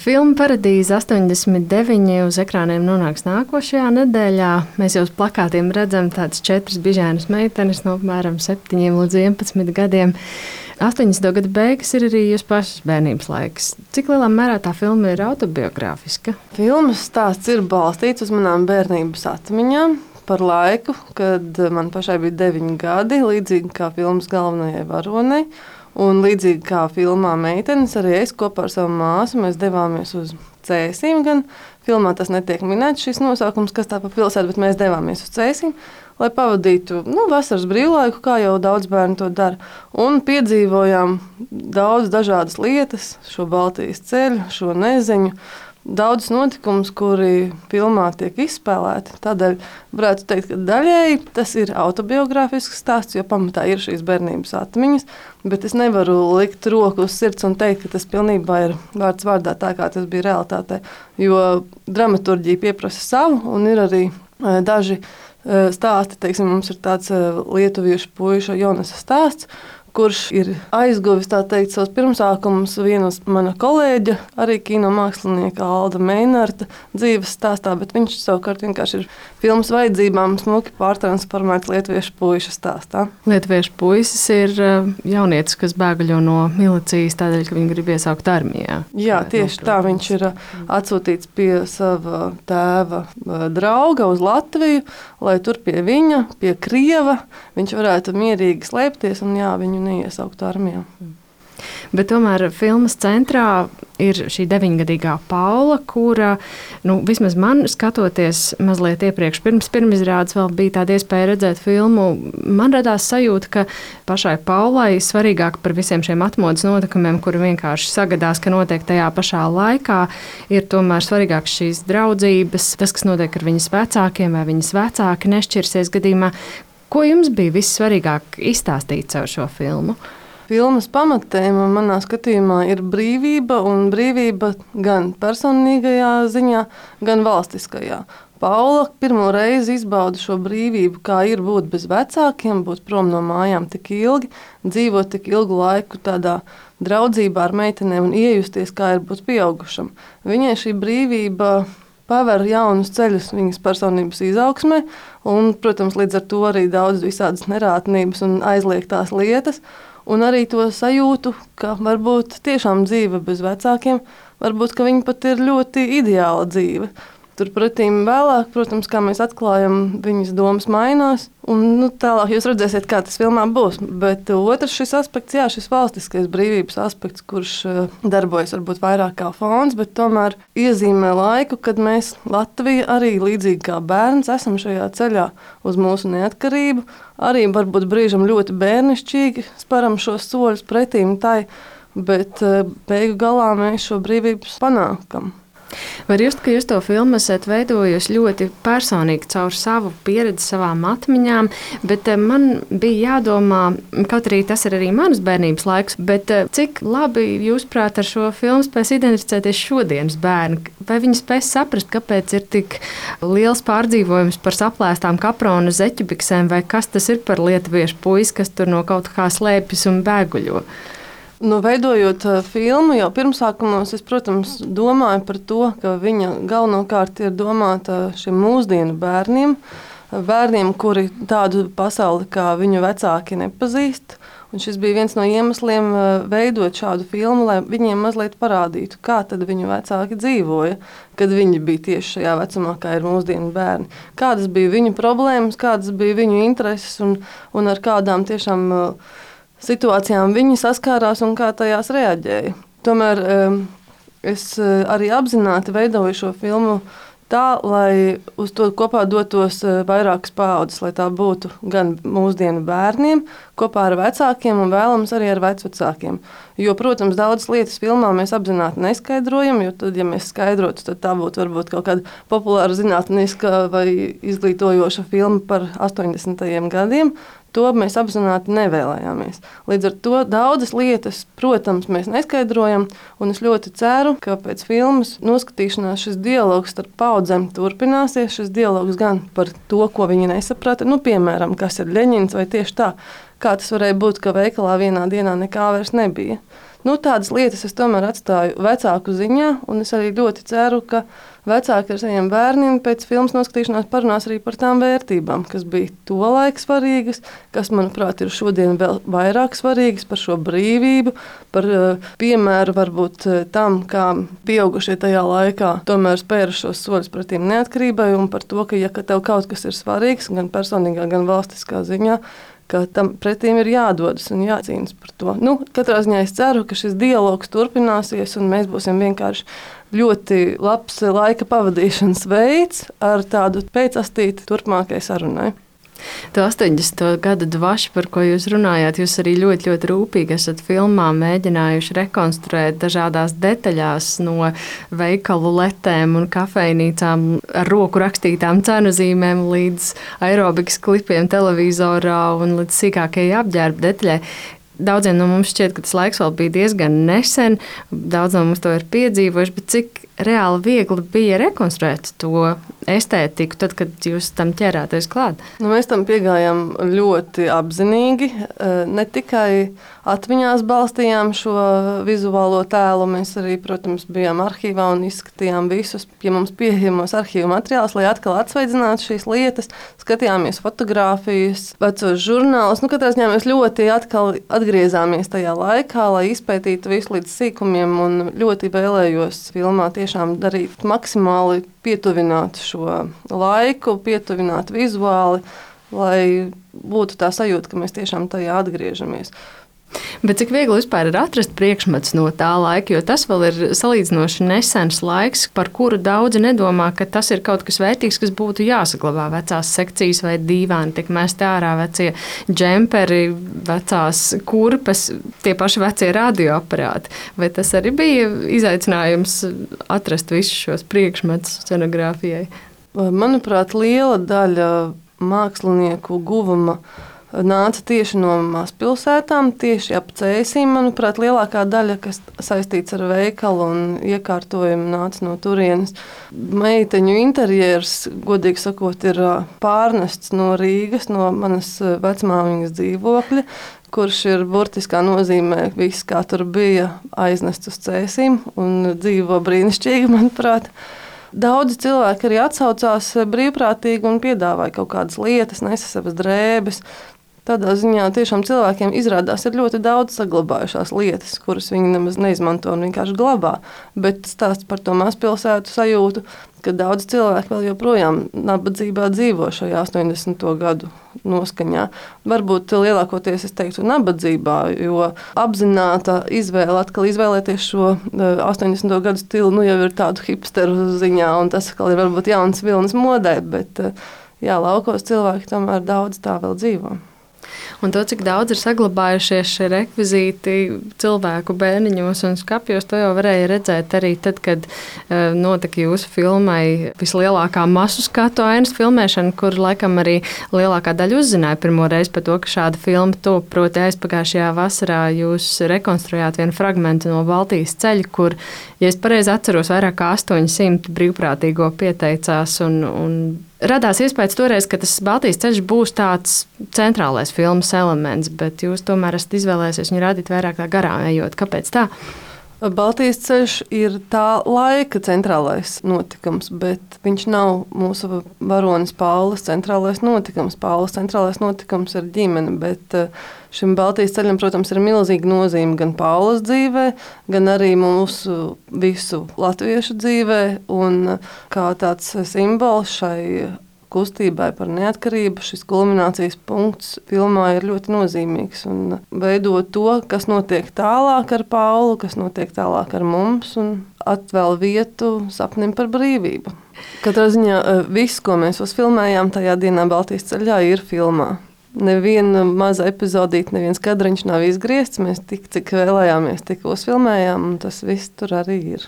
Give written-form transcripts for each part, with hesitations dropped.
Filma Paradīze 89 uz ekrāniem nonāks nākošajā nedēļā. Mēs jau uz plakātiem redzam tādas 4 bižēnas meitenes no apmēram 7 līdz 11 gadiem. 80. gadu beigas ir arī jūsu pašas bērnības laiks. Cik lielā mērā tā filma ir autobiogrāfiska? Filmas stāsts ir balstīts uz manām bērnības atmiņām par laiku, kad man pašai bija 9 gadi, līdzīgi kā filmas galvenajai varonei. Un līdzīgi kā filmā Meitenes, arī es kopā ar savu māsu mēs devāmies uz Cēsīm. Gan filmā tas netiek minēts šis nosaukums, kas tā pa pilsētu, bet mēs devāmies uz Cēsīm, lai pavadītu vasaras brīvlaiku, kā jau daudz bērnu to dara. Un piedzīvojām daudz dažādas lietas, šo Baltijas ceļu, šo neziņu. Daudz notikumus, kuri filmā tiek izspēlēti. Tādēļ varētu teikt, ka daļēji tas ir autobiogrāfisks stāsts, jo pamatā ir šīs bērnības atmiņas. Bet es nevaru likt roku uz sirds un teikt, ka tas pilnībā ir vārds vārdā tā, kā tas bija realitātē. Jo dramaturģija pieprasa savu, un ir arī daži stāsti. Teiksim, mums ir tāds lietuviešu puiša Jonasa stāsts, kurš ir aizguvis savus pirmsākumus viena mana kolēģa, arī kino mākslinieka Alda Meinarta dzīves stāstā, bet viņš savukārt vienkārši ir filmas vajadzībām smuki pārtransformēts lietuviešu puiša stāstā. Lietuviešu puisis ir jaunietis, kas bēgaļo no milicijas tādēļ, ka viņi grib iesaukt armijā. Jā, tieši tā. Viņš ir atsūtīts pie sava tēva drauga uz Latviju, lai tur pie viņa, pie Krieva, viņš varētu mierīgi slēpties un viņu neiesaukt armijā. Bet tomēr filmas centrā ir šī 9-gadīgā Paula, kura, vismaz man skatoties mazliet iepriekš, pirmizrādes vēl bija tāda iespēja redzēt filmu, man radās sajūta, ka pašai Paulai svarīgāk par visiem šiem atmodas notikumiem, kuri vienkārši sagadās, ka notiek tajā pašā laikā, ir tomēr svarīgāk šīs draudzības, tas, kas notiek ar viņas vecākiem, vai viņas vecāki nešķirsies gadījumā. Ko jums bija vissvarīgāk izstāstīt caur šo filmu? Filmas pamatēma manā skatījumā ir brīvība, un brīvība gan personīgajā ziņā, gan valstiskajā. Paula pirmo reizi izbauda šo brīvību, kā ir būt bez vecākiem, būt prom no mājām tik ilgi, dzīvot tik ilgu laiku tādā draudzībā ar meitenēm un iejusties, kā ir būt pieaugušam. Viņai šī brīvība paver jaunus ceļus viņas personības izaugsmē, un, protams, līdz ar to arī daudz visādas nerātnības un aizliegtās lietas, un arī to sajūtu, ka varbūt tiešām dzīve bez vecākiem, varbūt, ka viņa pat ir ļoti ideāla dzīve. Turpretīm vēlāk, protams, kā mēs atklājam, viņas domas mainās, un tālāk jūs redzēsiet, kā tas filmā būs. Bet otrs šis aspekts, šis valstiskais brīvības aspekts, kurš darbojas varbūt vairāk kā fons, bet tomēr iezīmē laiku, kad mēs Latvija arī līdzīgi kā bērns esam šajā ceļā uz mūsu neatkarību. Arī varbūt brīžam ļoti bērnišķīgi sparam šos soļus pretīm tai, bet beigu galā mēs šo brīvību panākam. Var just, ka jūs to filmu esat veidojusi ļoti personīgi caur savu pieredzi, savām atmiņām, bet man bija jādomā, kaut arī tas ir arī manas bērnības laiks, bet cik labi jūs prāt ar šo filmu spēs identificēties šodienas bērni? Vai viņi spēs saprast, kāpēc ir tik liels pārdzīvojums par saplēstām kaprona zeķubiksēm, vai kas tas ir par lietuviešu puisi, kas tur no kaut kā slēpjas un bēguļo? Veidojot filmu, jau pirmsākumos es, protams, domāju par to, ka viņa galvenokārt ir domāta šiem mūsdienu bērniem, kuri tādu pasauli kā viņu vecāki nepazīst. Un šis bija viens no iemesliem veidot šādu filmu, lai viņiem mazliet parādītu, kā tad viņu vecāki dzīvoja, kad viņi bija tieši šajā vecumā, kā ir mūsdienu bērni. Kādas bija viņu problēmas, kādas bija viņu intereses un ar kādām tiešām situācijām viņi saskārās un kā tajās reaģēja. Tomēr es arī apzināti veidoju šo filmu tā, lai uz to kopā dotos vairākas paaudzes, lai tā būtu gan mūsdienu bērniem, kopā ar vecākiem un vēlams arī ar vecvecākiem. Jo, protams, daudzas lietas filmā mēs apzināti neskaidrojam, jo tad, ja mēs skaidrotu, tad tā būtu varbūt kaut kāda populāra zinātniska vai izglītojoša filma par 80. gadiem. To mēs apzināti nevēlējāmies. Līdz ar to daudzas lietas, protams, mēs neskaidrojam, un es ļoti ceru, ka pēc filmas noskatīšanās šis dialogs starp paudzēm turpināsies. Šis dialogs gan par to, ko viņi nesaprata, piemēram, kas ir Ļeņins, vai tieši tā, kā tas varēja būt, ka veikalā vienā dienā nekā vairs nebija. Tādas lietas es tomēr atstāju vecāku ziņā, un es arī ļoti ceru, ka vecāki ar saviem bērniem pēc filmas noskatīšanās parunās arī par tām vērtībām, kas bija tolaik svarīgas, kas, manuprāt, ir šodien vēl vairāk svarīgas, par šo brīvību, par piemēru varbūt tam, kā pieaugušie tajā laikā tomēr spēra šos soļus pretīm neatkarībai, un par to, ka, ja tev kaut kas ir svarīgs, gan personīgā, gan valstiskā ziņā, ka tam pretīm ir jādodas un jācīnas par to. Katrā ziņā es ceru, ka šis dialogs turpināsies un mēs būsim vienkārši ļoti labs laika pavadīšanas veids ar tādu pēcastīti turpmākai sarunai. To 80. gada dvašu, par ko jūs runājāt, jūs arī ļoti, ļoti rūpīgi esat filmā mēģinājuši rekonstruēt dažādās detaļās no veikalu letēm un kafejnīcām ar roku rakstītām cenu zīmēm līdz aerobikas klipiem televizorā un līdz sīkākajai apģērba detaļai. Daudziem no mums šķiet, ka tas laiks vēl bija diezgan nesen, daudz no mums to ir piedzīvojuši, bet cik reāli viegli bija rekonstruēt to estētiku, tad, kad jūs tam ķerāties klāt? Mēs tam piegājām ļoti apzinīgi. Ne tikai atmiņās balstījām šo vizuālo tēlu, mēs arī, protams, bijām arhīvā un izskatījām visus pie mums pieejamos arhīvu materiālus, lai atkal atsvaidzinātu šīs lietas, skatījāmies fotogrāfijas, vecos žurnālus. Katrā ziņā mēs ļoti atkal atgriezāmies tajā laikā, lai izpētītu visu līdz sīkumiem, un ļoti vēlējos filmā tiešām darīt maksimāli pietuvināt šo laiku, pietuvināt vizuāli, lai būtu tā sajūta, ka mēs tiešām tajā atgriežamies. Bet cik viegli vispār ir atrast priekšmets no tā laika, jo tas vēl ir salīdzinoši nesens laiks, par kuru daudzi nedomā, ka tas ir kaut kas vērtīgs, kas būtu jāsaglabā. Vecās sekcijas vai dīvāni, tiek mesti ārā vecie džemperi, vecās kurpes, tie paši vecie radioaparāti. Vai tas arī bija izaicinājums atrast visus šos priekšmetus scenogrāfijai? Manuprāt, liela daļa mākslinieku guvuma nāca tieši no mazpilsētām, tieši ap Cēsīm. Manuprāt, lielākā daļa, kas saistīts ar veikalu un iekārtojumu, nāca no turienes. Meiteņu interjers, godīgi sakot, ir pārnests no Rīgas, no manas vecmāmiņas dzīvokļa, kurš ir burtiskā nozīmē viss, kā tur bija, aiznests uz Cēsīm un dzīvo brīnišķīgi, manuprāt. Daudzi cilvēki arī atsaucās brīvprātīgi un piedāvāja kaut kādas lietas, nesa savas drēbes. Tādā ziņā tiešām cilvēkiem izrādās ir ļoti daudz saglabājušās lietas, kuras viņi nemaz neizmanto un vienkārši glabā. Bet stāsts par to mazpilsētu sajūtu, ka daudz cilvēku vēl joprojām nabadzībā dzīvo šajā 80. gadu noskaņā. Varbūt lielākoties es teiktu nabadzībā, jo apzināta izvēle atkal izvēlēties šo 80. gadu stilu jau ir tādu hipsteru ziņā, un tas atkal ir varbūt jauns vilnis modē, bet laukos cilvēki tomēr daudz tā vēl dzīvo. Un to, cik daudz ir saglabājušies šie rekvizīti cilvēku bērniņos un skapjos, to jau varēja redzēt arī tad, kad notika jūsu filmai vislielākā masu skatu ainas filmēšana, kur laikam arī lielākā daļa uzzināja pirmo reizi par to, ka šāda filma top. Proti aizpagājušajā vasarā jūs rekonstruējāt vienu fragmentu no Baltijas ceļa, kur, ja es pareizi atceros, vairāk kā 800 brīvprātīgo pieteicās un radās iespējas toreiz, ka tas Baltijas ceļš būs tāds centrālais filmas elements, bet jūs tomēr esat izvēlējusies viņu rādīt vairāk tā garām ejot. Kāpēc tā? Baltijas ceļš ir tā laika centrālais notikums, bet viņš nav mūsu varonis Paulas centrālais notikums. Paulas centrālais notikums ir ģimene, bet šim Baltijas ceļam, protams, ir milzīga nozīme gan Paulas dzīvē, gan arī mūsu visu latviešu dzīvē, un kā tāds simbols šai kustībai par neatkarību, šis kulminācijas punkts filmā ir ļoti nozīmīgs un veido to, kas notiek tālāk ar Paulu, kas notiek tālāk ar mums un atvēl vietu sapnim par brīvību. Katrā ziņā viss, ko mēs uzfilmējām tajā dienā Baltijas ceļā, ir filmā. Neviena maza epizodīte, neviens kadriņš nav izgriezts, mēs tik, cik vēlējāmies, tik uzfilmējām, un tas viss tur arī ir.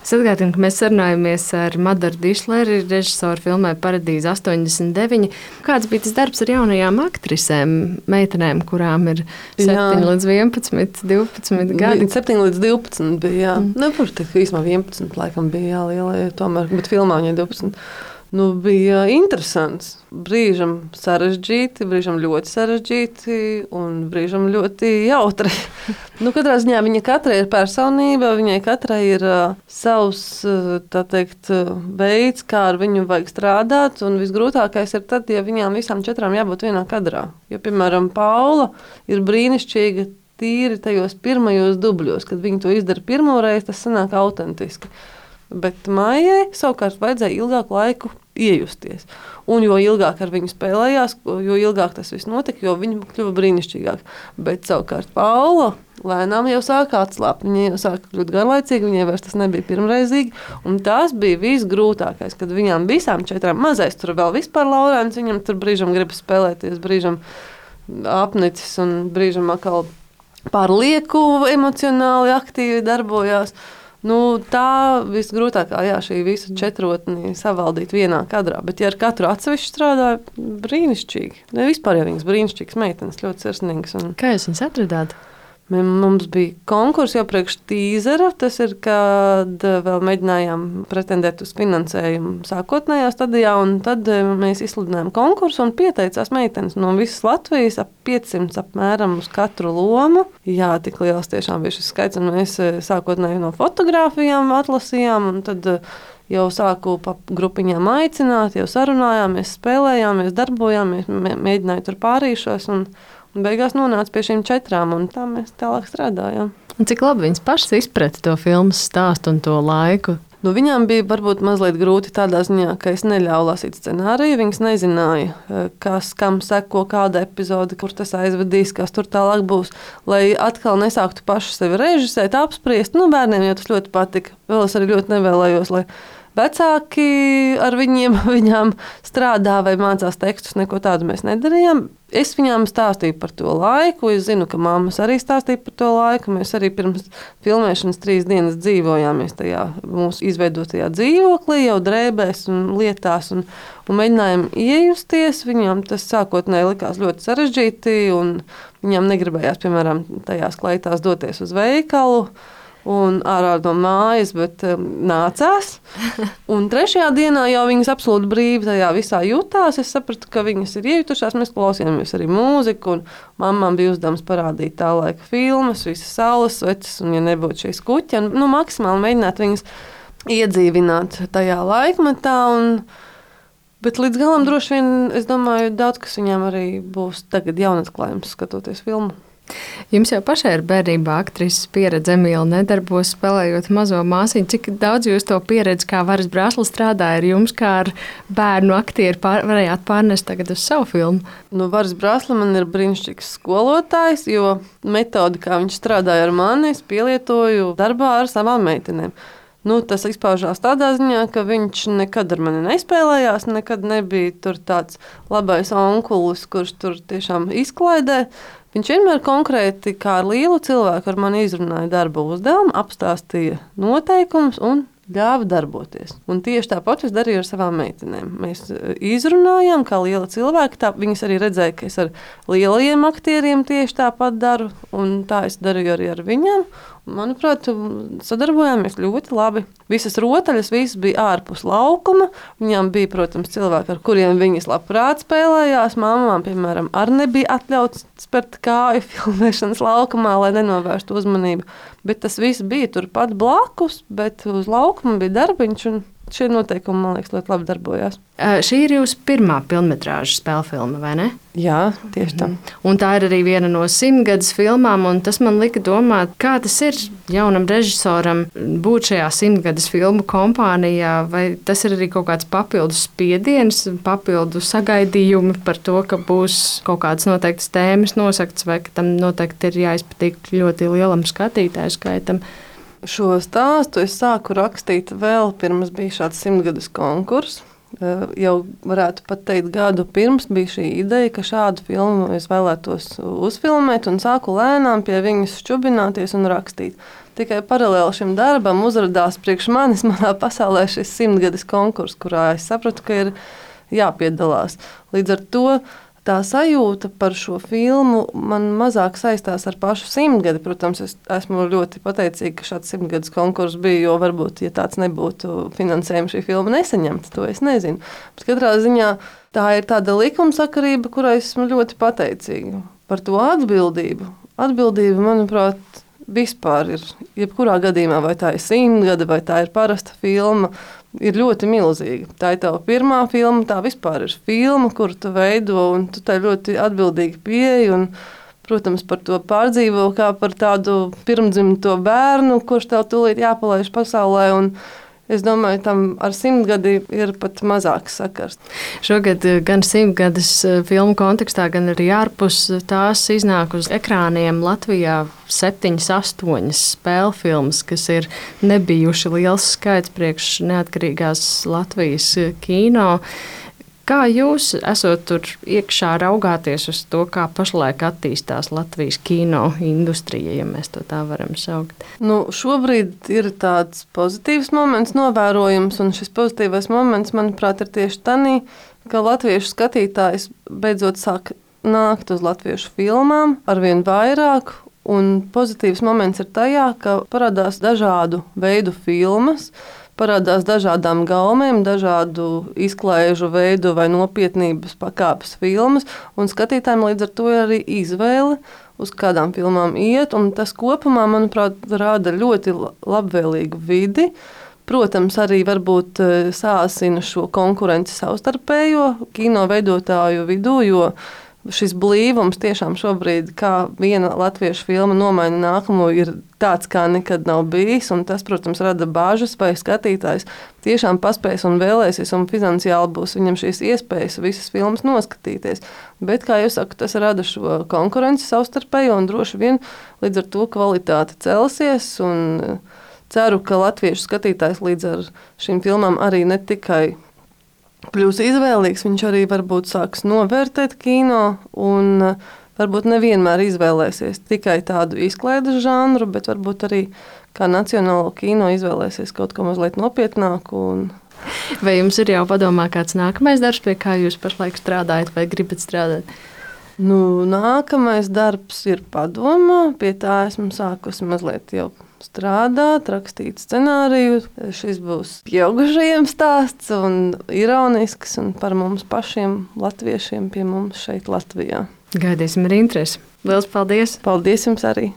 Es atgādinu, ka mēs sarunājamies ar Madaru Dišleri, režisoru filmai Paradīze 89. Kāds bija tas darbs ar jaunajām aktrisēm, meitenēm, kurām ir 7 līdz 11, 12 gadi? 7 līdz 12 bija, jā. Protams, īsumā 11 laikam bija, jā, lielie tomēr, bet filmā viņai 12. bija interesants. Brīžam sarežģīti, brīžam ļoti sarežģīti un brīžam ļoti jautri. Katrā ziņā viņa katrai ir personība, viņai katrai ir savs veids, kā ar viņu vajag strādāt. Un visgrūtākais ir tad, ja viņām visām 4 jābūt vienā kadrā. Jo, piemēram, Paula ir brīnišķīga tīri tajos pirmajos dubļos. Kad viņi to izdara pirmoreiz, tas sanāk autentiski. Bet Maijai savukārt vajadzēja ilgāku laiku iejusties. Un jo ilgāk ar viņu spēlējās, jo ilgāk tas viss notika, jo viņa kļuva brīnišķīgāk. Bet savukārt Paula lēnām jau sāka atslābt. Viņa jau sāka kļūt garlaicīga, viņai vairs tas nebija pirmreizīgi. Un tas bija visgrūtākais, kad viņām visām 4 mazais tur vēl vispār Laurēns, viņam tur brīžam gribas spēlēties, brīžam apnicis un brīžam atkal pārlieku emocionāli aktīvi darbojās. Tā visgrūtākā, šī visa 4 savaldīt vienā kadrā. Bet, ja ar katru atsevišķi strādāja, brīnišķīgi. Vispār jau viņas brīnišķīgas meitenes, ļoti sirsnīgas. Kā jūs viņas atradāt? Mums bija konkurss jau priekš tīzera. Tas ir, kad vēl mēģinājām pretendēt uz finansējumu sākotnējā stadijā. Tad mēs izsludinājām konkursu un pieteicās meitenes no visas Latvijas ap 500 apmēram uz katru lomu. Jā, tik liels tiešām bija šis skaits. Mēs sākotnēji no fotogrāfijām atlasījām un tad jau sāku pa grupiņām aicināt, jau sarunājāmies, spēlējāmies, darbojāmies, mēģināju tur pārīšos un beigās nonāca pie šīm 4, un tā mēs tālāk strādājām. Un cik labi viņas pašas izprata to filmas stāstu un to laiku? Viņām bija varbūt mazliet grūti tādā ziņā, ka es neļauju lasīt scenāriju. Viņas nezināja, kas kam seko kāda epizode, kur tas aizvedīs, kas tur tālāk būs. Lai atkal nesāktu paši sevi režisēt, apspriest. Bērniem jau tas ļoti patika. Vēl es arī ļoti nevēlējos, lai vecāki ar viņām strādā vai mācās tekstus. Neko tādu mēs nedarījām. Es viņām stāstīju par to laiku. Es zinu, ka mammas arī stāstīja par to laiku. Mēs arī pirms filmēšanas 3 dienas dzīvojāmies tajā mūsu izveidotajā dzīvoklī, jau drēbēs un lietās. Un mēģinājām iejusties. Viņām tas sākotnēji likās ļoti sarežģīti. Viņām negribējās, piemēram, tajās kleitās doties uz veikalu un ārā no mājas, bet nācās. Un 3. dienā jau viņas absolūti brīvi tajā visā jutās. Es sapratu, ka viņas ir iejutušās. Mēs klausījāmies arī mūziku, un mammām bija uzdevums parādīt tā laika filmas, visas saules sveces, un ja nebūtu šīs kuķi, maksimāli mēģināt viņas iedzīvināt tajā laikmetā. Bet līdz galam droši vien, es domāju, daudz kas viņām arī būs tagad jaunatklājums, skatoties filmu. Jums jau pašai ir bērnībā aktrises pieredze, Emīla nedarbos, spēlējot mazo māsiņu. Cik daudz jūs to pieredzi, kā Varas Brāsla strādāja ar jums, kā ar bērnu aktieru, varējāt pārnest tagad uz savu filmu? Varas Brāsla man ir brīnišķīgs skolotājs, jo metodi, kā viņš strādāja ar mani, es pielietoju darbā ar savām meitenēm. Tas izpaužās tādā ziņā, ka viņš nekad ar mani nespēlējās, nekad nebija tur tāds labais onkulis, kurš tur tiešām izklaidē. Viņš vienmēr konkrēti, kā ar lielu cilvēku, ar mani izrunāja darba uzdevumu, apstāstīja noteikumus un ļāva darboties. Un tieši tāpat es darīju ar savām meitenēm. Mēs izrunājām, kā liela cilvēka. Viņas arī redzēja, ka es ar lielajiem aktieriem tieši tāpat daru, un tā es darīju arī ar viņām. Manuprāt, sadarbojāmies ļoti labi. Visas rotaļas bija ārpus laukuma. Viņām bija, protams, cilvēki, ar kuriem viņas labprāt spēlējās. Māmām, piemēram, arī nebija atļauts spērt kāju filmēšanas laukumā, lai nenovērstu uzmanību. Bet tas viss bija turpat blakus, bet uz laukuma bija darbiņš. Šie noteikumi, man liekas, ļoti labi darbojās. Šī ir jūsu pirmā pilnmetrāža spēļu filma, vai ne? Jā, tieši tā. Un tā ir arī viena no 100-gadus filmām, un tas man lika domāt, kā tas ir jaunam režisoram būt šajā 100-gadus filmu kompānijā, vai tas ir arī kaut kāds papildus spiediens, papildu sagaidījumi par to, ka būs kaut kādas noteiktas tēmas nosaktas, vai ka tam noteikti ir jāizpatīk ļoti lielam skatītāju skaitam. Šo stāstu es sāku rakstīt vēl pirms bija šāds 100-gadus konkurss. Jau varētu pat teikt, gadu pirms bija šī ideja, ka šādu filmu es vēlētos uzfilmēt un sāku lēnām pie viņas šķubināties un rakstīt. Tikai paralēli šim darbam uzradās priekš manis manā pasaulē šis 100-gadus konkurss, kurā es sapratu, ka ir jāpiedalās. Līdz ar to tā sajūta par šo filmu man mazāk saistās ar pašu simtgadi. Protams, es esmu ļoti pateicīga, ka šāds simtgadus konkurss bija, jo varbūt, ja tāds nebūtu, finansējums šī filma nesaņemta, to es nezinu. Bet katrā ziņā tā ir tāda likumsakarība, kurai esmu ļoti pateicīga par to atbildību. Atbildība, manuprāt, vispār ir, jebkurā gadījumā, vai tā ir 100 gada, vai tā ir parasta filma, ir ļoti milzīga. Tā ir tava pirmā filma, tā vispār ir filma, kuru tu veido, un tu tai ļoti atbildīgi pieeji, un, protams, par to pārdzīvo kā par tādu pirmdzimto bērnu, kurš tev tūlīt jāpalaiž pasaulē, un es domāju, tam ar 100 gadi ir pat mazāks sakars. Šogad gan 100 gadus filmu kontekstā, gan arī ārpus tās iznāk uz ekrāniem Latvijā 7, 8 spēļu filmas, kas ir nebijuši liels skaits priekš neatkarīgās Latvijas kino. Kā jūs esot tur iekšā raugāties uz to, kā pašlaik attīstās Latvijas kino industrija, ja mēs to tā varam saukt? Šobrīd ir tāds pozitīvs moments novērojams, un šis pozitīvais moments, manuprāt, ir tieši tanī, ka latviešu skatītājs beidzot sāk nākt uz latviešu filmām arvien vairāk, un pozitīvs moments ir tajā, ka parādās dažādu veidu filmas, parādās dažādām gaumēm, dažādu izklaižu veidu vai nopietnības pakāpes filmas, un skatītājiem līdz ar to ir arī izvēle, uz kādām filmām iet, un tas kopumā, manuprāt, rada ļoti labvēlīgu vidi. Protams, arī varbūt sāsina šo konkurenci savstarpējo kino veidotāju vidū, jo šis blīvums tiešām šobrīd, kā viena latviešu filma nomaina nākamo, ir tāds, kā nekad nav bijis. Tas, protams, rada bāžas, vai skatītājs tiešām paspēs un vēlēsies, un finansiāli būs viņam šīs iespējas visas filmas noskatīties. Bet, kā jau saku, tas rada šo konkurenci savstarpējo, un droši vien līdz ar to kvalitāte celsies. Ceru, ka latviešu skatītājs līdz ar šīm filmām arī ne tikai kļūs izvēlīgs, viņš arī varbūt sāks novērtēt kino un varbūt nevienmēr izvēlēsies tikai tādu izklaides žanru, bet varbūt arī kā nacionālo kino izvēlēsies kaut ko mazliet nopietnāku. Vai jums ir jau padomā kāds nākamais darbs, pie kā jūs pašlaik strādājat vai gribat strādāt? Nākamais darbs ir padomā, pie tā esmu sākusi mazliet jau strādāt, rakstīt scenāriju. Šis būs pieaugušajiem stāsts un ironisks un par mums pašiem latviešiem pie mums šeit Latvijā. Gaidīsim ar interesi. Liels paldies! Paldies jums arī!